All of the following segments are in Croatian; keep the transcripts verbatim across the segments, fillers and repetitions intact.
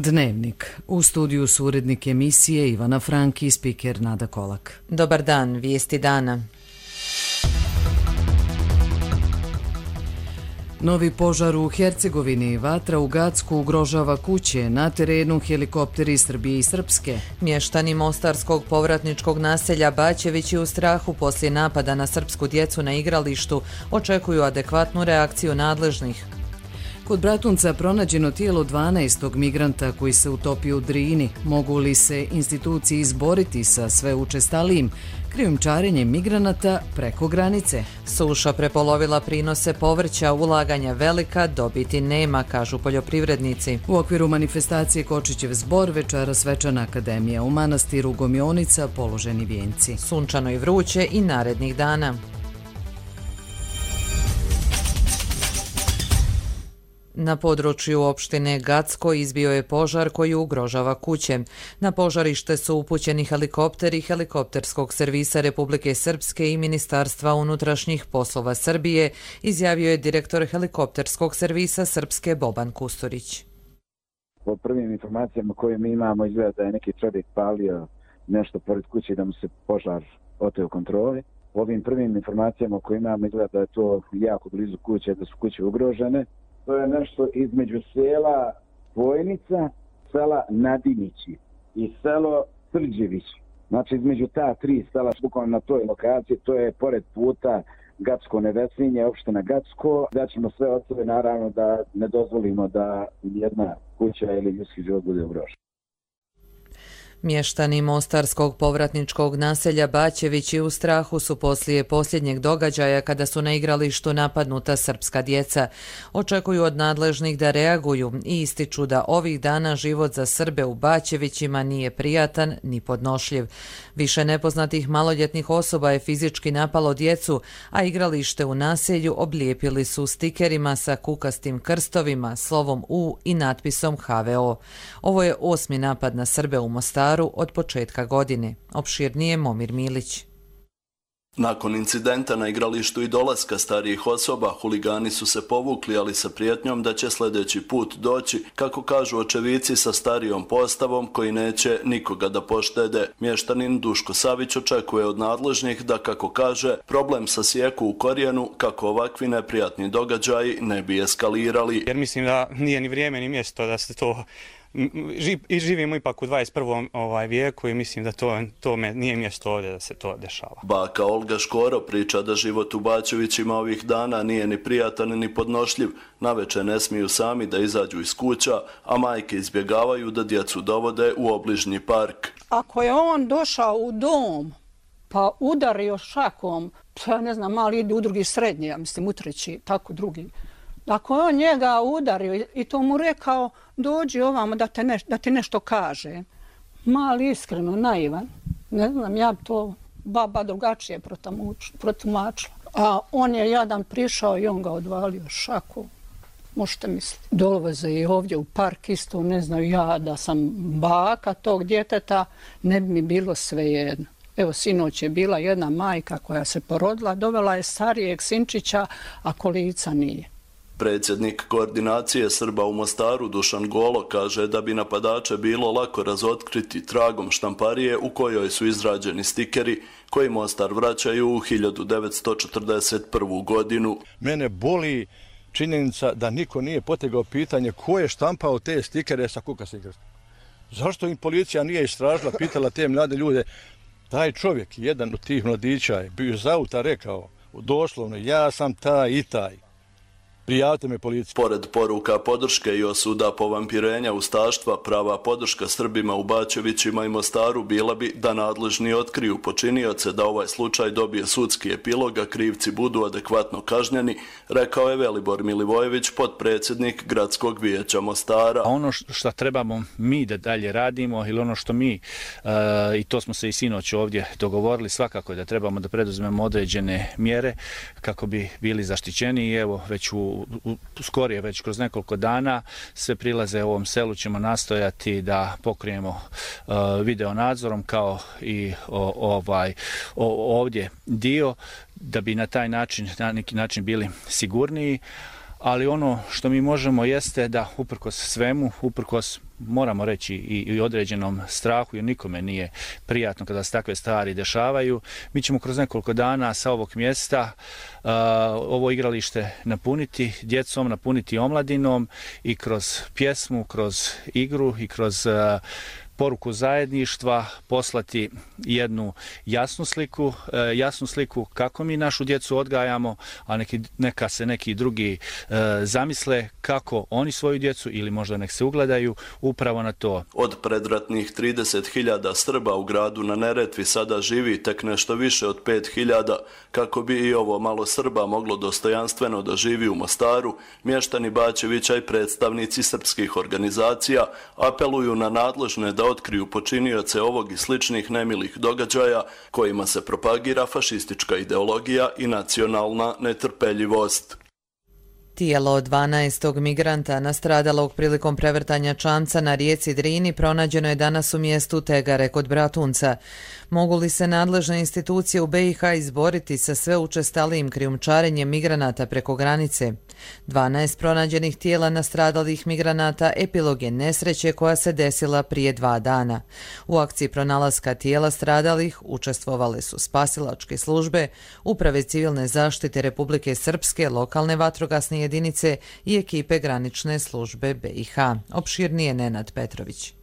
Dnevnik. U studiju su urednik emisije Ivana Franki i spiker Nada Kolak. Dobar dan, vijesti dana. Novi požar u Hercegovini, vatra u Gacku ugrožava kuće, na terenu helikopteri Srbije i Srpske. Mještani mostarskog povratničkog naselja Bačevići u strahu poslije napada na srpsku djecu na igralištu očekuju adekvatnu reakciju nadležnih. Kod Bratunca pronađeno tijelo dvanaestog migranta koji se utopio u Drini. Mogu li se institucije izboriti sa sve učestalijim krijumčarenjem migranata preko granice? Suša prepolovila prinose povrća, ulaganja velika, dobiti nema, kažu poljoprivrednici. U okviru manifestacije Kočićev zbor večera svečana akademija u manastiru Gomionica, položeni vijenci. Sunčano i vruće i narednih dana. Na području opštine Gacko izbio je požar koji ugrožava kuće. Na požarište su upućeni helikopteri helikopterskog servisa Republike Srpske i Ministarstva unutrašnjih poslova Srbije, izjavio je direktor helikopterskog servisa Srpske Boban Kusturić. Po prvim informacijama koje mi imamo izgleda da je neki čovjek palio nešto pored kuće da mu se požar oteo kontroli. Po ovim prvim informacijama koje imamo izgleda da je to jako blizu kuće, da su kuće ugrožene. To je nešto između sela Vojnica, sela Nadinići i selo Srđevići. Znači između ta tri sela, bukvalno na toj lokaciji, to je pored puta Gacko-Nevesinje, opština Gacko. Da ćemo sve od sebe naravno da ne dozvolimo da jedna kuća ili ljudski život bude ugrožen. Mještani mostarskog povratničkog naselja Bačevići u strahu su poslije posljednjeg događaja kada su na igralištu napadnuta srpska djeca. Očekuju od nadležnih da reaguju i ističu da ovih dana život za Srbe u Bačevićima nije prijatan ni podnošljiv. Više nepoznatih maloljetnih osoba je fizički napalo djecu, a igralište u naselju oblijepili su stikerima sa kukastim krstovima, slovom U i natpisom H V O. Ovo je osmi napad na Srbe u Mostaru od početka godine. Opširnije Momir Milić. Nakon incidenta na igralištu i dolaska starijih osoba, huligani su se povukli, ali sa prijetnjom da će sljedeći put doći, kako kažu očevici sa starijom postavom koji neće nikoga da poštede. Mještanin Duško Savić očekuje od nadležnih da, kako kaže, problem sasjeku u korijenu kako ovakvi neprijatni događaji ne bi eskalirali. Jer mislim da nije ni vrijeme ni mjesto da se to i živimo ipak u dvadeset prvom ovaj vijeku i mislim da to, to me nije mjesto ovdje da se to dešava. Baka Olga Škoro priča da život u Bačevićima ovih dana nije ni prijatan ni podnošljiv. Naveče ne smiju sami da izađu iz kuća, a majke izbjegavaju da djecu dovode u obližnji park. Ako je on došao u dom pa udario šakom, ja ne znam, mali ide u drugi srednji, ja mislim u treći, tako drugi. Ako je on njega udario i to mu rekao, dođi ovamo da, te neš, da ti nešto kaže. Mali iskreno, naivan. Ne znam, ja to baba drugačije protumačila. A on je jadan prišao i on ga odvalio šaku. Možete misliti. Dolaze i ovdje u park isto, ne znaju ja da sam baka tog djeteta, ne bi mi bilo svejedno. Evo, sinoć je bila jedna majka koja se porodila, dovela je starijeg sinčića, a kolica nije. Predsjednik koordinacije Srba u Mostaru Dušan Golo kaže da bi napadače bilo lako razotkriti tragom štamparije u kojoj su izrađeni stikeri koji Mostar vraćaju u hiljadu devetsto četrdeset prvu. godinu. Mene boli činjenica da niko nije potegao pitanje ko je štampao te stikere sa kukastim krstom. Zašto im policija nije istražila, pitala te mlade ljude? Taj čovjek, jedan od tih mladića, je bio iz auta rekao doslovno ja sam taj i taj. Prijavite me policiji. Pored poruka podrške i osuda povampirenja ustaštva, prava podrška Srbima u Bačevićima i Mostaru bila bi da nadležni otkriju počinioce, da ovaj slučaj dobije sudski epilog, a krivci budu adekvatno kažnjeni, rekao je Velibor Milivojević, potpredsjednik Gradskog vijeća Mostara. Ono što trebamo mi da dalje radimo ili ono što mi, uh, i to smo se i sinoć ovdje dogovorili, svakako da trebamo da preduzmemo određene mjere kako bi bili zaštićeni i evo već u U, skorije već kroz nekoliko dana sve prilaze u ovom selu ćemo nastojati da pokrijemo uh, video nadzorom kao i o, ovaj o, ovdje dio da bi na taj način na neki način bili sigurniji, ali ono što mi možemo jeste da uprkos svemu, uprkos moramo reći i, i određenom strahu, jer nikome nije prijatno kada se takve stvari dešavaju, mi ćemo kroz nekoliko dana sa ovog mjesta uh, ovo igralište napuniti djecom, napuniti omladinom i kroz pjesmu, kroz igru i kroz uh, poruku zajedništva poslati jednu jasnu sliku, jasnu sliku kako mi našu djecu odgajamo, a neki, neka se neki drugi e, zamisle kako oni svoju djecu ili možda nek se ugledaju upravo na to. Od predratnih trideset hiljada Srba u gradu na Neretvi sada živi tek nešto više od pet hiljada. Kako bi i ovo malo Srba moglo dostojanstveno da živi u Mostaru, mještani Bačevića i predstavnici srpskih organizacija apeluju na nadležne da otkriju počinioce ovog i sličnih nemilih događaja kojima se propagira fašistička ideologija i nacionalna netrpeljivost. Tijelo dvanaestog migranta nastradalog prilikom prevrtanja čamca na rijeci Drini pronađeno je danas u mjestu Tegare kod Bratunca. Mogu li se nadležne institucije u B i H izboriti sa sve učestalijim krijumčarenjem migranata preko granice? dvanaest pronađenih tijela nastradalih migranata epilog je nesreće koja se desila prije dva dana. U akciji pronalaska tijela stradalih učestvovale su spasilačke službe, uprave civilne zaštite Republike Srpske, lokalne vatrogasne jedinice i ekipe granične službe B i H. Opširnije Nenad Petrović.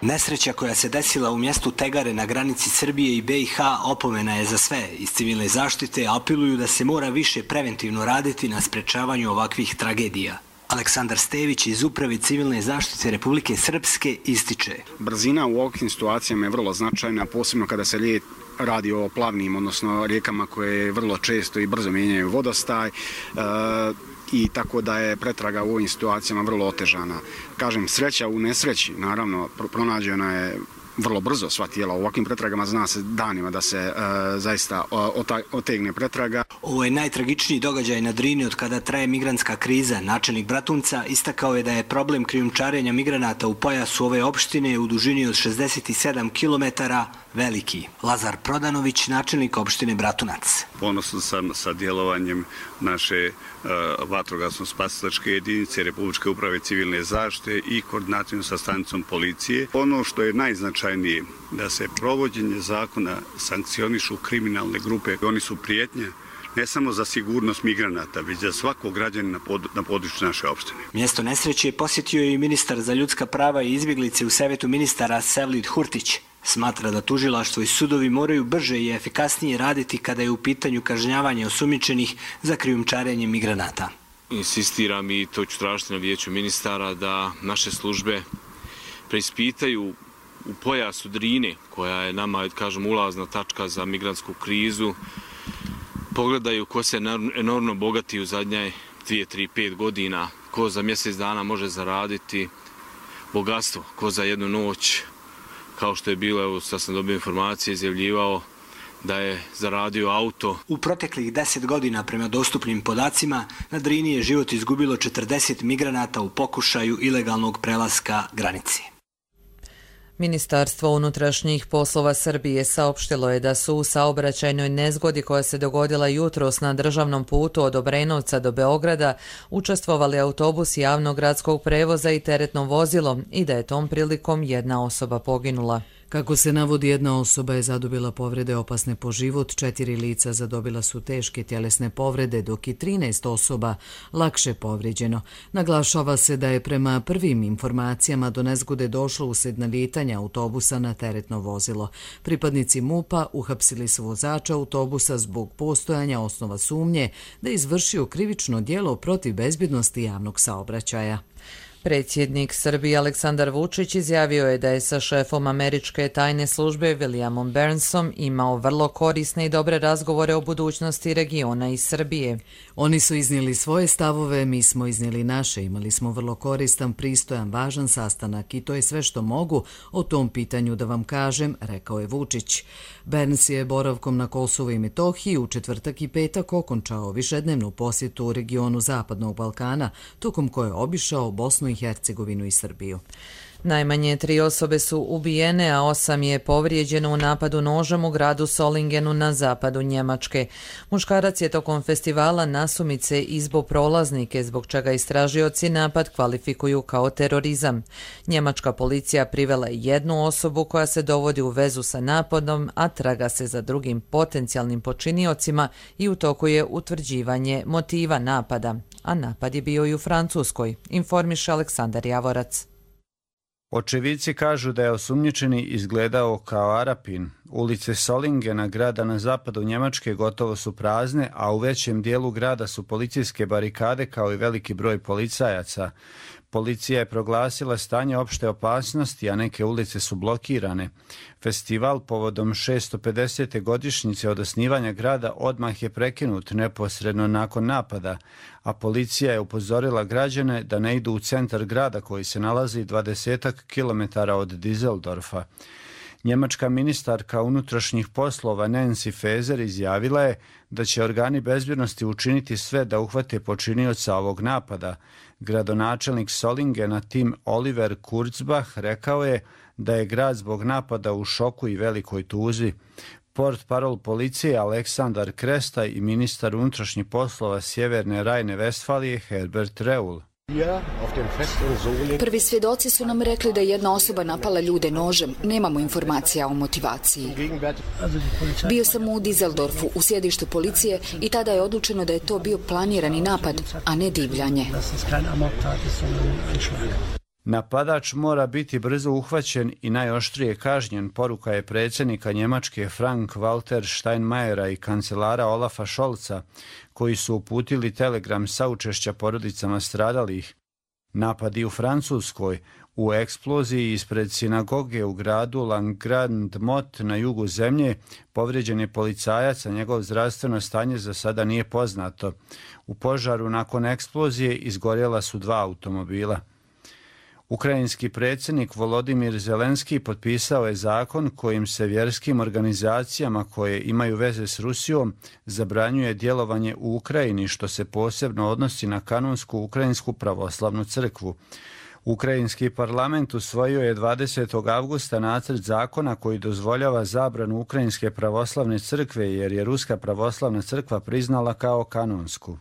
Nesreća koja se desila u mjestu Tegare na granici Srbije i B i H opomena je za sve. Iz civilne zaštite apeluju da se mora više preventivno raditi na sprečavanju ovakvih tragedija. Aleksandar Stević iz Uprave civilne zaštite Republike Srpske ističe. Brzina u ovakvim situacijama je vrlo značajna, posebno kada se radi o plavnim, odnosno rijekama koje vrlo često i brzo mijenjaju vodostaj. I tako da je pretraga u ovim situacijama vrlo otežana. Kažem, sreća u nesreći, naravno, pronađena je vrlo brzo sva tijela. U ovakvim pretragama zna se danima da se e, zaista otegne pretraga. Ovo je najtragičniji događaj na Drini od kada traje migrantska kriza. Načelnik Bratunca istakao je da je problem krijumčarenja migranata u pojasu ove opštine u dužini od šezdeset sedam kilometara veliki. Lazar Prodanović, načelnik opštine Bratunac. Ponosan sam sa djelovanjem naše uh, vatrogasno-spasilačke jedinice Republičke uprave civilne zaštite i koordinacijom sa stanicom policije. Ono što je najznačajnije da se provođenje zakona sankcionišu kriminalne grupe. Oni su prijetnja ne samo za sigurnost migranata, već za svakog građanina na području naše opštine. Mjesto nesreće posjetio je i ministar za ljudska prava i izbjeglice u Savjetu ministara Sevlid Hurtić. Smatra da tužilaštvo i sudovi moraju brže i efikasnije raditi kada je u pitanju kažnjavanje osumnjičenih za krijumčarenje migranata. Insistiram i to ću tražiti na vijeću ministara da naše službe preispitaju u pojasu Drine, koja je nama, kažem, ulazna tačka za migrantsku krizu, pogledaju ko se enormno bogati u zadnje dvije, tri, pet godina, ko za mjesec dana može zaraditi bogatstvo, ko za jednu noć, kao što je bilo, evo sad sam dobio informacije, izjavljivao da je zaradio auto. U proteklih deset godina, prema dostupnim podacima, na Drini je život izgubilo četrdeset migranata u pokušaju ilegalnog prelaska granice. Ministarstvo unutrašnjih poslova Srbije saopštilo je da su u saobraćajnoj nezgodi koja se dogodila jutros na državnom putu od Obrenovca do Beograda učestvovali autobus javnog gradskog prevoza i teretno vozilo i da je tom prilikom jedna osoba poginula. Kako se navodi, jedna osoba je zadobila povrede opasne po život, četiri lica zadobila su teške tjelesne povrede, dok i trinaest osoba lakše povrijeđeno. Naglašava se da je prema prvim informacijama do nezgode došlo usred nalijetanja autobusa na teretno vozilo. Pripadnici MUP-a uhapsili su vozača autobusa zbog postojanja osnova sumnje da je izvršio krivično djelo protiv bezbjednosti javnog saobraćaja. Predsjednik Srbije Aleksandar Vučić izjavio je da je sa šefom američke tajne službe Williamom Burnsom imao vrlo korisne i dobre razgovore o budućnosti regiona i Srbije. Oni su iznijeli svoje stavove, mi smo iznijeli naše. Imali smo vrlo koristan, pristojan, važan sastanak i to je sve što mogu o tom pitanju da vam kažem, rekao je Vučić. Burns je boravkom na Kosovu i Metohiji u četvrtak i petak okončao višednevnu posjetu u regionu Zapadnog Balkana, tokom koje je obišao Bosnu i Hercegovinu i Srbiju. Najmanje tri osobe su ubijene, a osam je povrijeđeno u napadu nožem u gradu Solingenu na zapadu Njemačke. Muškarac je tokom festivala nasumice izbo prolaznike, zbog čega istražioci napad kvalifikuju kao terorizam. Njemačka policija privela je jednu osobu koja se dovodi u vezu sa napadom, a traga se za drugim potencijalnim počiniocima i u toku je utvrđivanje motiva napada. A napad je bio i u Francuskoj, informiše Aleksandar Javorac. Očevici kažu da je osumnjičeni izgledao kao Arapin. Ulice Solingena, grada na zapadu Njemačke, gotovo su prazne, a u većem dijelu grada su policijske barikade kao i veliki broj policajaca. Policija je proglasila stanje opšte opasnosti, a neke ulice su blokirane. Festival povodom šesto pedesete godišnjice od osnivanja grada odmah je prekinut neposredno nakon napada, a policija je upozorila građane da ne idu u centar grada koji se nalazi dvadesetak kilometara od Düsseldorfa. Njemačka ministarka unutrašnjih poslova Nancy Faeser izjavila je da će organi bezbjednosti učiniti sve da uhvate počinioca ovog napada. Gradonačelnik Solingena Tim Oliver Kurzbach rekao je da je grad zbog napada u šoku i velikoj tuzi. Portparol policije Aleksandar Krestaj i ministar unutrašnjih poslova Sjeverne Rajne-Vestfalije Herbert Reul. Prvi svjedoci su nam rekli da je jedna osoba napala ljude nožem. Nemamo informacija o motivaciji. Bio sam u Düsseldorfu, u sjedištu policije, i tada je odlučeno da je to bio planirani napad, a ne divljanje. Napadač mora biti brzo uhvaćen i najoštrije kažnjen, poruka je predsjednika Njemačke Frank-Walter Steinmeiera i kancelara Olafa Scholza, koji su uputili telegram saučešća porodicama stradalih. Napadi u Francuskoj, u eksploziji ispred sinagoge u gradu Langrand-Mot na jugu zemlje, povrijeđen je policajac, a njegov zdravstveno stanje za sada nije poznato. U požaru nakon eksplozije izgorjela su dva automobila. Ukrajinski predsjednik Volodimir Zelenski potpisao je zakon kojim se vjerskim organizacijama koje imaju veze s Rusijom zabranjuje djelovanje u Ukrajini, što se posebno odnosi na kanonsku Ukrajinsku pravoslavnu crkvu. Ukrajinski parlament usvojio je dvadesetog avgusta nacrt zakona koji dozvoljava zabranu Ukrajinske pravoslavne crkve jer je Ruska pravoslavna crkva priznala kao kanonsku.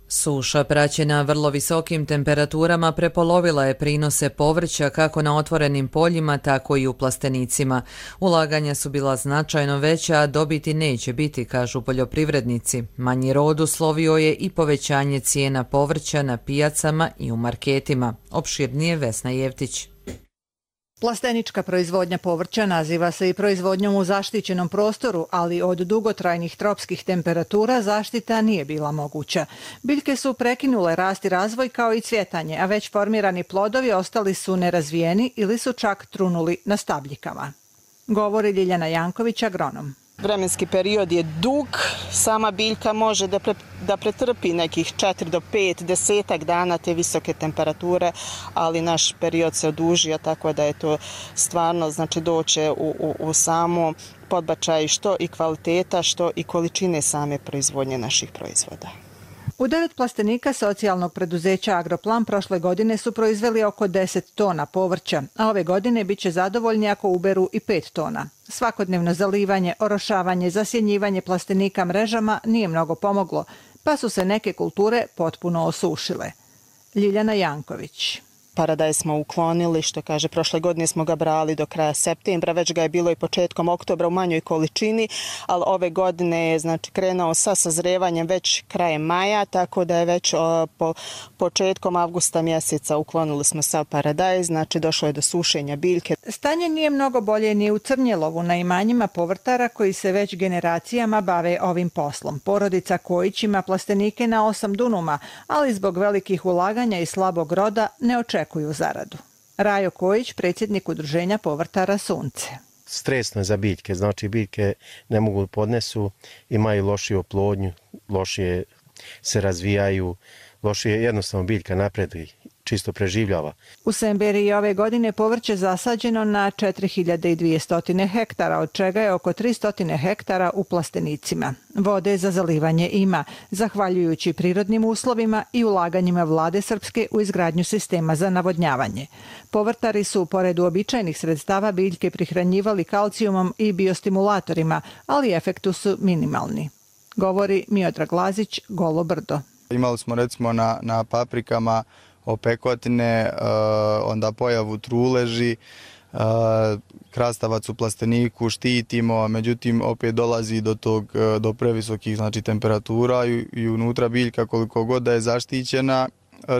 Suša praćena vrlo visokim temperaturama prepolovila je prinose povrća kako na otvorenim poljima, tako i u plastenicima. Ulaganja su bila značajno veća, a dobiti neće biti, kažu poljoprivrednici. Manji rod uslovio je i povećanje cijena povrća na pijacama i u marketima. Opširnije Vesna Jevtić. Plastenička proizvodnja povrća naziva se i proizvodnjom u zaštićenom prostoru, ali od dugotrajnih tropskih temperatura zaštita nije bila moguća. Biljke su prekinule rast i razvoj kao i cvjetanje, a već formirani plodovi ostali su nerazvijeni ili su čak trunuli na stabljikama. Govori Ljiljana Janković, agronom. Vremenski period je dug, sama biljka može da, pre, da pretrpi nekih četiri do pet, desetak dana te visoke temperature, ali naš period se odužio, tako da je to stvarno znači doće u, u, u samo podbačaj što i kvaliteta, što i količine same proizvodnje naših proizvoda. U devet plastenika socijalnog preduzeća Agroplan prošle godine su proizveli oko deset tona povrća, a ove godine bit će zadovoljni ako uberu i pet tona. Svakodnevno zalivanje, orošavanje, zasjenjivanje plastenika mrežama nije mnogo pomoglo, pa su se neke kulture potpuno osušile. Ljiljana Janković. Paradajz smo uklonili, što kaže, prošle godine smo ga brali do kraja septembra, već ga je bilo i početkom oktobra u manjoj količini, ali ove godine je znači krenuo sa sazrevanjem već krajem maja, tako da je već o, po početkom avgusta mjeseca uklonili smo sav paradajz, znači došlo je do sušenja biljke. Stanje nije mnogo bolje ni u Crnjelovu na imanjima povrtara koji se već generacijama bave ovim poslom. Porodica Kojić ima plastenike na osam dunuma, ali zbog velikih ulaganja i slabog roda ne očekuju zaradu. Rajo Kojić, predsjednik udruženja povrtara Sunce. Stresno je za biljke, znači biljke ne mogu podnesu, imaju lošiju oplodnju, lošije se razvijaju, lošije jednostavno biljka napreduje čisto preživljava. U Semberiji ove godine povrće zasađeno na četiri hiljade dvjesto hektara, od čega je oko tristo hektara u plastenicima. Vode za zalivanje ima, zahvaljujući prirodnim uslovima i ulaganjima vlade Srpske u izgradnju sistema za navodnjavanje. Povrtari su, pored uobičajenih sredstava, biljke prihranjivali kalcijumom i biostimulatorima, ali efektu su minimalni. Govori Miodrag Lazić, Golo brdo. Imali smo recimo na, na paprikama opekotine, uh, onda pojavu truleži, uh, krastavac u plasteniku štitimo, međutim opet dolazi do tog do previsokih znači temperatura i, i unutra biljka koliko god da je zaštićena,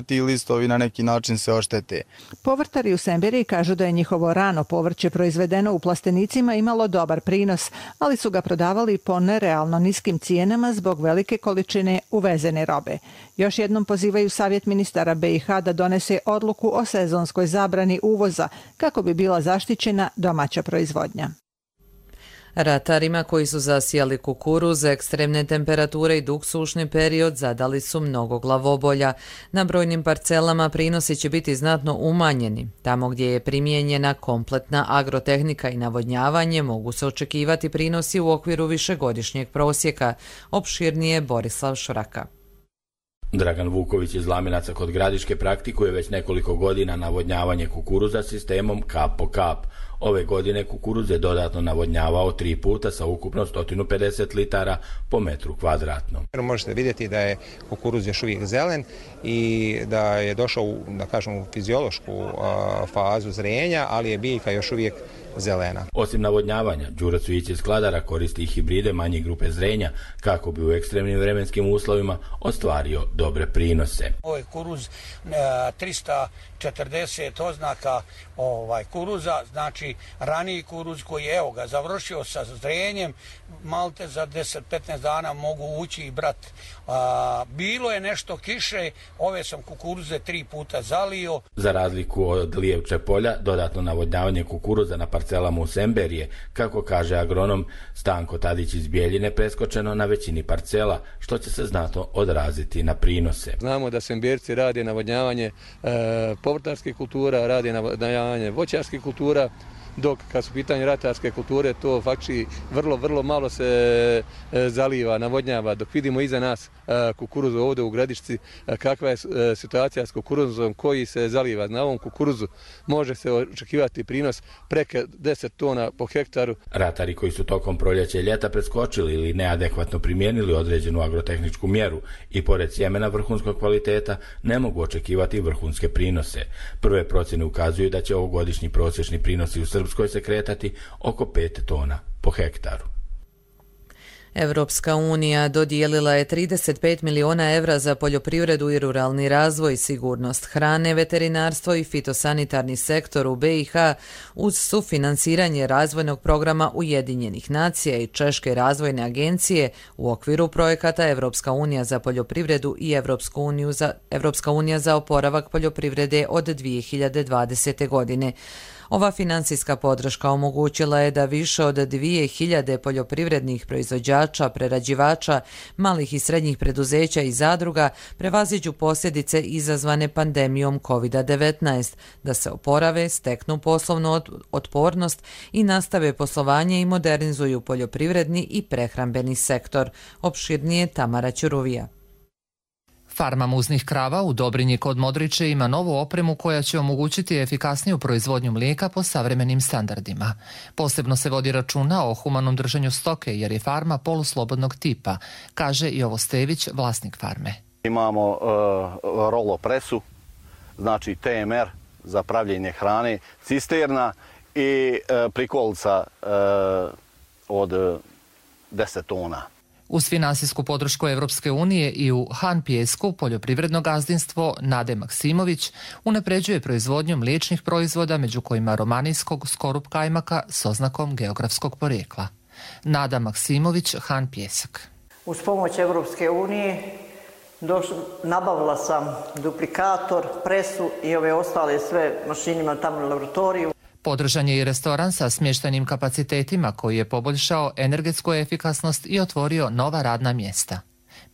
ti listovi na neki način se oštete. Povrtari u Semberiji kažu da je njihovo rano povrće proizvedeno u plastenicima imalo dobar prinos, ali su ga prodavali po nerealno niskim cijenama zbog velike količine uvezene robe. Još jednom pozivaju savjet ministara B i H da donese odluku o sezonskoj zabrani uvoza kako bi bila zaštićena domaća proizvodnja. Ratarima koji su zasijali kukuruz, ekstremne temperature i dug sušni period zadali su mnogo glavobolja. Na brojnim parcelama prinosi će biti znatno umanjeni. Tamo gdje je primijenjena kompletna agrotehnika i navodnjavanje mogu se očekivati prinosi u okviru višegodišnjeg prosjeka. Opširnije Borislav Šraka. Dragan Vuković iz Laminaca kod Gradiške praktikuje već nekoliko godina navodnjavanje kukuruza sistemom kap po kap. Ove godine kukuruz je dodatno navodnjavao tri puta sa ukupno sto pedeset litara po metru kvadratnom. Možete vidjeti da je kukuruz još uvijek zelen i da je došao u, da kažem, u fiziološku a, fazu zrenja, ali je biljka još uvijek zelena. Osim navodnjavanja, Đuro Cvijić iz Kladara koristi i hibride manje grupe zrenja kako bi u ekstremnim vremenskim uslovima ostvario dobre prinose. Ovo je kuruz tristo četrdeset oznaka ovaj kuruza, znači raniji kuruz koji je evo ga završio sa zrenjem, malte za deset do petnaest dana mogu ući i brat. A, bilo je nešto kiše, ove sam kukuruze tri puta zalio. Za razliku od Lijevče polja, dodatno navodnjavanje kukuruza na parcelama u Semberije, kako kaže agronom Stanko Tadić iz Bijeljine, preskočeno na većini parcela, što će se znatno odraziti na prinose. Znamo da Semberci rade navodnjavanje e, povrtarskih kultura, rade navodnjavanje voćarskih kultura, dok kad su pitanje ratarske kulture to faktički vrlo, vrlo malo se e, zaliva, navodnjava. Dok vidimo iza nas e, kukuruzu ovdje u Gradišci, e, kakva je e, situacija s kukuruzom koji se zaliva. Na ovom kukuruzu može se očekivati prinos preko deset tona po hektaru. Ratari koji su tokom proljeća i ljeta preskočili ili neadekvatno primijenili određenu agrotehničku mjeru i pored sjemena vrhunskog kvaliteta ne mogu očekivati vrhunske prinose. Prve procjene ukazuju da će ovogodišnji prosječni prinosi u Srpskoj se kretati oko pet tona po hektaru. Evropska unija dodijelila je trideset pet miliona evra za poljoprivredu i ruralni razvoj, sigurnost hrane, veterinarstvo i fitosanitarni sektor u B i H uz sufinansiranje razvojnog programa Ujedinjenih nacija i Češke razvojne agencije u okviru projekata Evropska unija za poljoprivredu i Evropsku uniju za, Evropska unija za oporavak poljoprivrede od dvije hiljade dvadesete. godine. Ova financijska podrška omogućila je da više od dvije hiljade poljoprivrednih proizvođača, prerađivača, malih i srednjih preduzeća i zadruga prevaziđu posljedice izazvane pandemijom kovid devetnaest, da se oporave, steknu poslovnu otpornost i nastave poslovanje i modernizuju poljoprivredni i prehrambeni sektor. Opširnije Tamara Ćuruvija. Farma muznih krava u Dobrinji kod Modriče ima novu opremu koja će omogućiti efikasniju proizvodnju mlijeka po savremenim standardima. Posebno se vodi računa o humanom držanju stoke jer je farma poluslobodnog tipa, kaže Jovo Stević, vlasnik farme. Imamo uh, rolo presu, znači T M R za pravljenje hrane, cisterna i uh, prikolica uh, od deset tona. Uz finansijsku podršku Evropske unije i u Han Pijesku poljoprivredno gazdinstvo Nade Maksimović unapređuje proizvodnju mliječnih proizvoda, među kojima romanijskog skorup kajmaka s oznakom geografskog porijekla. Nada Maksimović, Han Pijesak. Uz pomoć Evropske unije nabavila sam duplikator, presu i ove ostale sve mašinima tamo u laboratoriju. Podržan je i restoran sa smještajnim kapacitetima koji je poboljšao energetsku efikasnost i otvorio nova radna mjesta.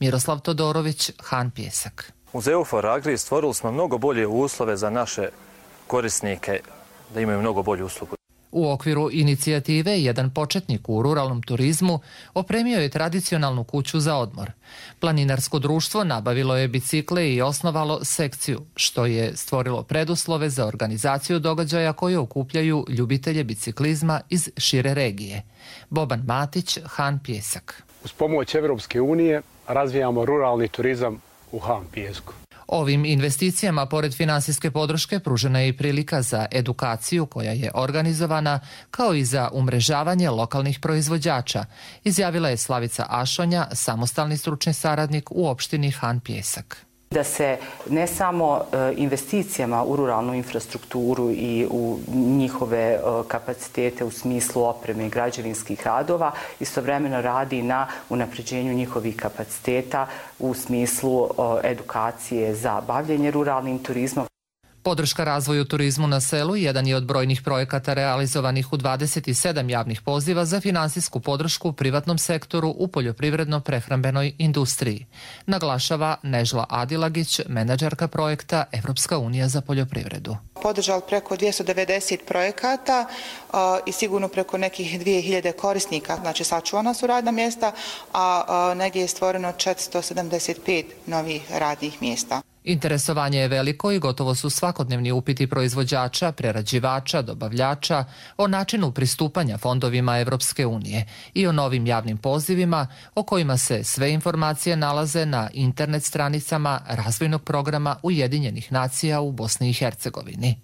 Miroslav Todorović, Han Pijesak. Uz EUFOR Agri stvorili smo mnogo bolje uslove za naše korisnike da imaju mnogo bolju uslugu. U okviru inicijative jedan početnik u ruralnom turizmu opremio je tradicionalnu kuću za odmor. Planinarsko društvo nabavilo je bicikle i osnovalo sekciju, što je stvorilo preduslove za organizaciju događaja koje okupljaju ljubitelje biciklizma iz šire regije. Boban Matić, Han Pjesak. Uz pomoć Evropske unije razvijamo ruralni turizam u Han Pjesku. Ovim investicijama, pored finansijske podrške, pružena je i prilika za edukaciju koja je organizovana, kao i za umrežavanje lokalnih proizvođača, izjavila je Slavica Ašonja, samostalni stručni saradnik u opštini Han Pjesak. Da se ne samo investicijama u ruralnu infrastrukturu i u njihove kapacitete u smislu opreme i građevinskih radova, istovremeno radi na unapređenju njihovih kapaciteta u smislu edukacije za bavljenje ruralnim turizmom. Podrška razvoju turizmu na selu jedan je od brojnih projekata realizovanih u dvadeset sedam javnih poziva za finansijsku podršku u privatnom sektoru u poljoprivredno-prehrambenoj industriji, naglašava Nežla Adilagić, menadžerka projekta Evropska unija za poljoprivredu. Podržali preko dvjesto devedeset projekata i sigurno preko nekih dvije hiljade korisnika, znači sačuvana su radna mjesta, a negdje je stvoreno četiristo sedamdeset pet novih radnih mjesta. Interesovanje je veliko i gotovo su svakodnevni upiti proizvođača, prerađivača, dobavljača o načinu pristupanja fondovima Evropske unije i o novim javnim pozivima o kojima se sve informacije nalaze na internet stranicama razvojnog programa Ujedinjenih nacija u Bosni i Hercegovini.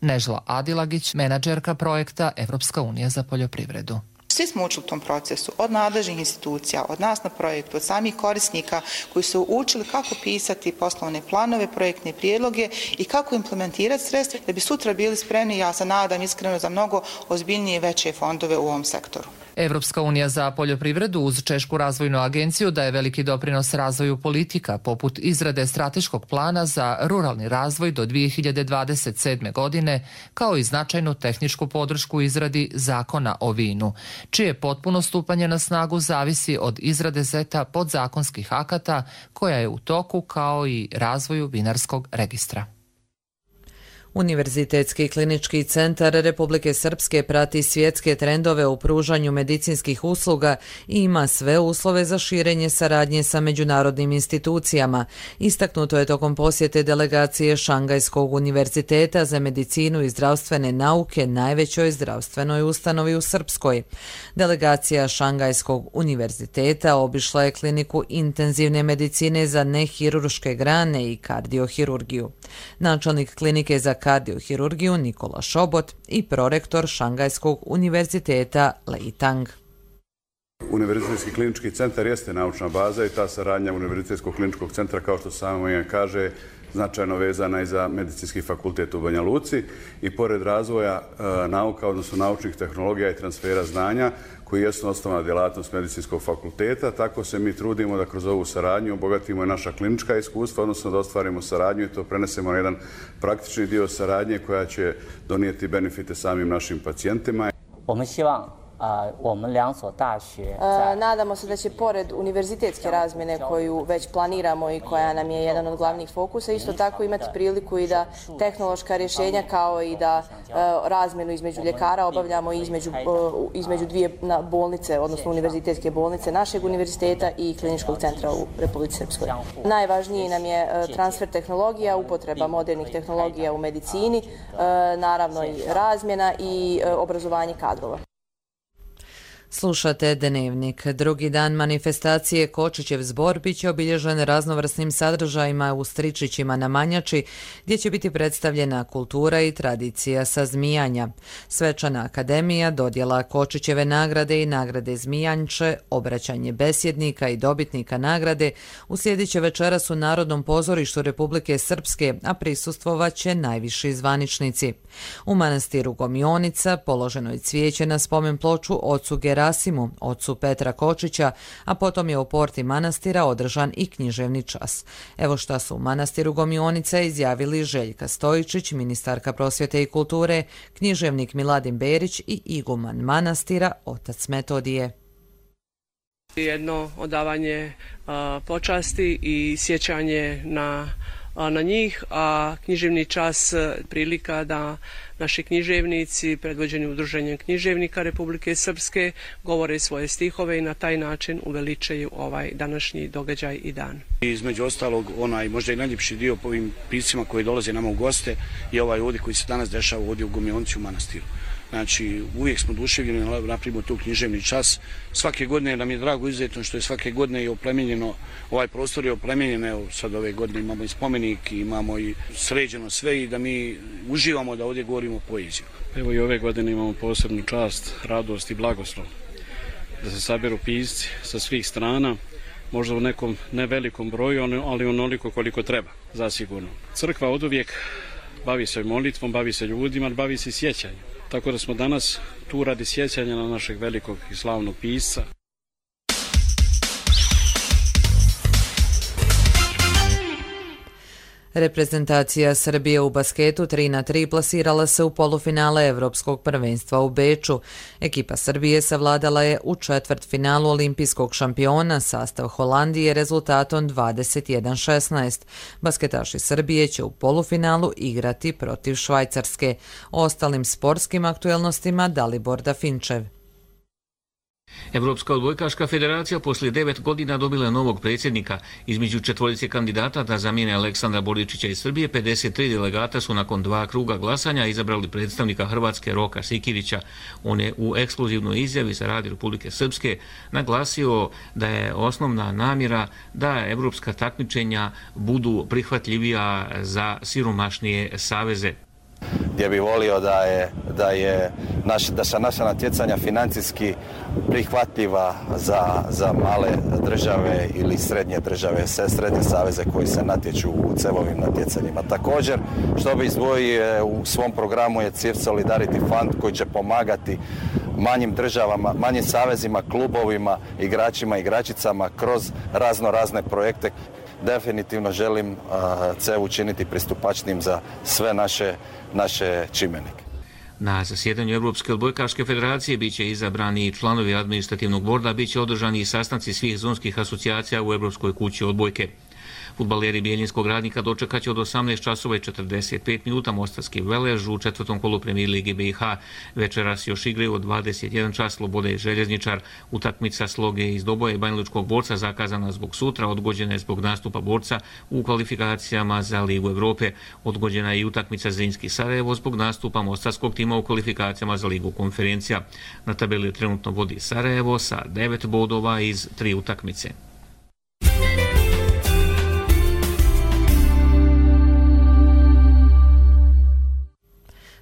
Nežla Adilagić, menadžerka projekta Evropska unija za poljoprivredu. Svi smo učili u tom procesu, od nadležnih institucija, od nas na projektu, od samih korisnika koji su učili kako pisati poslovne planove, projektne prijedloge i kako implementirati sredstva da bi sutra bili spremni, ja se nadam iskreno, za mnogo ozbiljnije i veće fondove u ovom sektoru. Evropska unija za poljoprivredu uz Češku razvojnu agenciju daje veliki doprinos razvoju politika, poput izrade strateškog plana za ruralni razvoj do dvije hiljade dvadeset sedme. godine, kao i značajnu tehničku podršku izradi zakona o vinu, čije potpuno stupanje na snagu zavisi od izrade seta podzakonskih akata koja je u toku, kao i razvoju vinarskog registra. Univerzitetski klinički centar Republike Srpske prati svjetske trendove u pružanju medicinskih usluga i ima sve uslove za širenje saradnje sa međunarodnim institucijama. Istaknuto je tokom posjete delegacije Šangajskog univerziteta za medicinu i zdravstvene nauke, najvećoj zdravstvenoj ustanovi u Srpskoj. Delegacija Šangajskog univerziteta obišla je kliniku intenzivne medicine za nehirurške grane i kardiohirurgiju. Načelnik klinike za kardiohirurgiju Nikola Šobot i prorektor Šangajskog univerziteta Lei Tang. Univerzitetski klinički centar jeste naučna baza i ta saradnja Univerzitetskog kliničkog centra, kao što samo ime kaže, značajno vezana i za medicinski fakultet u Banja Luci i pored razvoja e, nauka, odnosno naučnih tehnologija i transfera znanja, koji jesu osnovna djelatnost medicinskog fakulteta, tako se mi trudimo da kroz ovu saradnju obogatimo i naša klinička iskustva, odnosno da ostvarimo saradnju i to prenesemo na jedan praktični dio saradnje koja će donijeti benefite samim našim pacijentima. Nadamo se da će pored univerzitetske razmjene koju već planiramo i koja nam je jedan od glavnih fokusa, isto tako imati priliku i da tehnološka rješenja kao i da razmjenu između ljekara obavljamo između, između dvije bolnice, odnosno univerzitetske bolnice našeg univerziteta i kliničkog centra u Republici Srpskoj. Najvažniji nam je transfer tehnologija, upotreba modernih tehnologija u medicini, naravno i razmjena i obrazovanje kadrova. Slušate Dnevnik. Drugi dan manifestacije Kočićev zbor biće obilježen raznovrsnim sadržajima u Stričićima na Manjači, gdje će biti predstavljena kultura i tradicija sazmijanja. Svečana akademija, dodjela Kočićeve nagrade i nagrade Zmijanče, obraćanje besjednika i dobitnika nagrade uslijedit će večeras u Narodnom pozorištu Republike Srpske, a prisustvovat će najviši zvaničnici. U manastiru Gomionica položeno je cvijeće na spomen ploču ocu Gerasimu, ocu Petra Kočića, a potom je u porti manastira održan i književni čas. Evo šta su u manastiru Gomionica izjavili Željka Stojičić, ministarka prosvjete i kulture, književnik Miladin Berić i iguman manastira otac Metodije. Jedno odavanje počasti i sjećanje na, na njih, a književni čas prilika da naši književnici, predvođeni Udruženjem književnika Republike Srpske, govore svoje stihove i na taj način uveličaju ovaj današnji događaj i dan. Između ostalog, onaj možda i najljepši dio po ovim piscima koji dolaze nama u goste je ovaj ovdje koji se danas dešava ovdje u Gomilonci u manastiru. Znači, uvijek smo duševljeni da napravimo tu književni čas. Svake godine nam je drago izuzetno što je svake godine i oplemenjeno, ovaj prostor je oplemenjen, evo sad ove godine imamo i spomenik, imamo i sređeno sve i da mi uživamo da ovdje govorimo poeziju. Evo i ove godine imamo posebnu čast, radost i blagoslov da se saberu pisci sa svih strana, možda u nekom nevelikom broju, ali onoliko koliko treba, zasigurno. Crkva oduvijek bavi se molitvom, bavi se ljudima, bavi se sjećanjem. Tako da smo danas tu radi sjećanja na našeg velikog i slavnog pisca. Reprezentacija Srbije u basketu tri na tri plasirala se u polufinale Evropskog prvenstva u Beču. Ekipa Srbije savladala je u četvrtfinalu olimpijskog šampiona sastav Holandije rezultatom dvadeset jedan šesnaest. Basketaši Srbije će u polufinalu igrati protiv Švajcarske. O ostalim sportskim aktuelnostima Dalibor Dafinčev. Evropska odbojkaška federacija poslije devet godina dobila novog predsjednika. Između četvorice kandidata da zamijene Aleksandra Boričića iz Srbije, pedeset tri delegata su nakon dva kruga glasanja izabrali predstavnika Hrvatske Roka Sikirića. On je u ekskluzivnoj izjavi za Radio Republike Srpske naglasio da je osnovna namjera da evropska takmičenja budu prihvatljivija za siromašnije saveze. Gdje bi volio da je, da je naš, da su naša natjecanja financijski prihvatljiva za, za male države ili srednje države, sve srednje saveze koji se natječu u cevovim natjecanjima. Također, što bi izdvojio u svom programu je C I F Solidarity Fund koji će pomagati manjim državama, manjim savezima, klubovima, igračima i igračicama kroz razno razne projekte. Definitivno želim uh, C E V učiniti pristupačnim za sve naše, naše čimenike. Na zasjedanju Evropske odbojkaške federacije biće izabrani članovi administrativnog borda, biće održani i sastanci svih zonskih asocijacija u Evropskoj kući odbojke. Fudbaleri Bijeljinskog Radnika dočekat će od osamnaest časova i četrdeset pet minuta Mostarski Velež u četvrtom kolu Premijer Lige B i H. Večeras još igraju od dvadeset jedan čas Slobode i Željezničar. Utakmica Sloge iz Doboja i Banjalučkog Borca zakazana zbog sutra, odgođena je zbog nastupa Borca u kvalifikacijama za Ligu Evrope. Odgođena je i utakmica Zrinski Sarajevo zbog nastupa mostarskog tima u kvalifikacijama za Ligu konferencija. Na tabeli trenutno vodi Sarajevo sa devet bodova iz tri utakmice.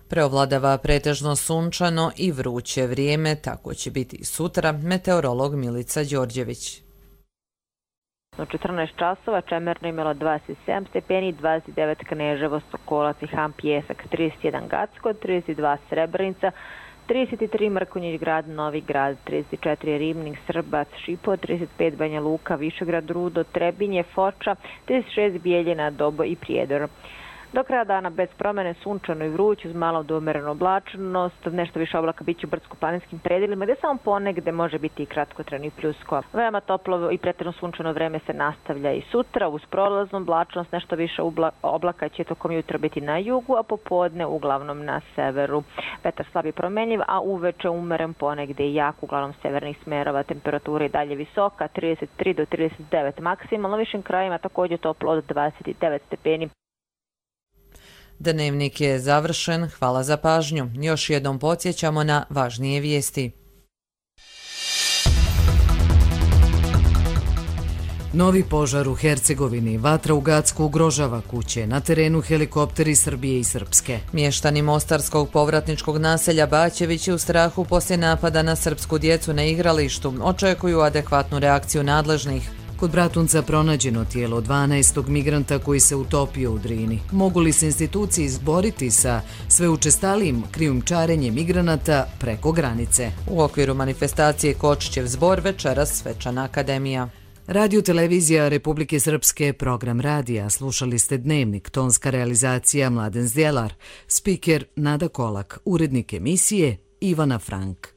Preovladava pretežno sunčano i vruće vrijeme, tako će biti i sutra, meteorolog Milica Đorđević. U četrnaest časova Čemerno imalo dvadeset sedam stepeni, dvadeset devet Kneževo, Sokolac i Ham Pjesak, trideset jedan Gacko, trideset dva Srebrenica, trideset tri Mrkonjić Grad, Novi Grad, trideset četiri Ribnik, Srbac, Šipo, trideset pet Banja Luka, Višegrad, Rudo, Trebinje, Foča, trideset šest Bijeljina, Dobo i Prijedor. Do kraja dana bez promjene sunčano i vruć uz malo do umerenu oblačnost, nešto više oblaka biće u brdsko-planinskim predelima gdje samo ponegde može biti i kratkotrajno i pljusko. Veoma toplo i pretjerano sunčano vreme se nastavlja i sutra uz prolaznu oblačnost, nešto više oblaka će tokom jutra biti na jugu, a popodne uglavnom na severu. Vetar slab i promenljiv, a uveče umeren ponegde i jak, uglavnom severnih smerova, temperatura i dalje visoka, trideset tri do trideset devet maksimalno, višim krajima također toplo od dvadeset devet stepeni. Dnevnik je završen, hvala za pažnju. Još jednom podsjećamo na važnije vijesti. Novi požar u Hercegovini, vatra u Gacku ugrožava kuće, na terenu helikopteri Srbije i Srpske. Mještani mostarskog povratničkog naselja Baćevići u strahu poslije napada na srpsku djecu na igralištu očekuju adekvatnu reakciju nadležnih. Kod Bratunca pronađeno tijelo dvanaestog migranta koji se utopio u Drini. Mogu li se institucije izboriti sa sve učestalijim krijumčarenjem migranata preko granice? U okviru manifestacije Kočićev zbor večeras Svečana akademija. Radio Televizija Republike Srpske, program radija. Slušali ste Dnevnik, tonska realizacija Mladen Zdjelar, spiker Nada Kolak, urednik emisije Ivana Frank.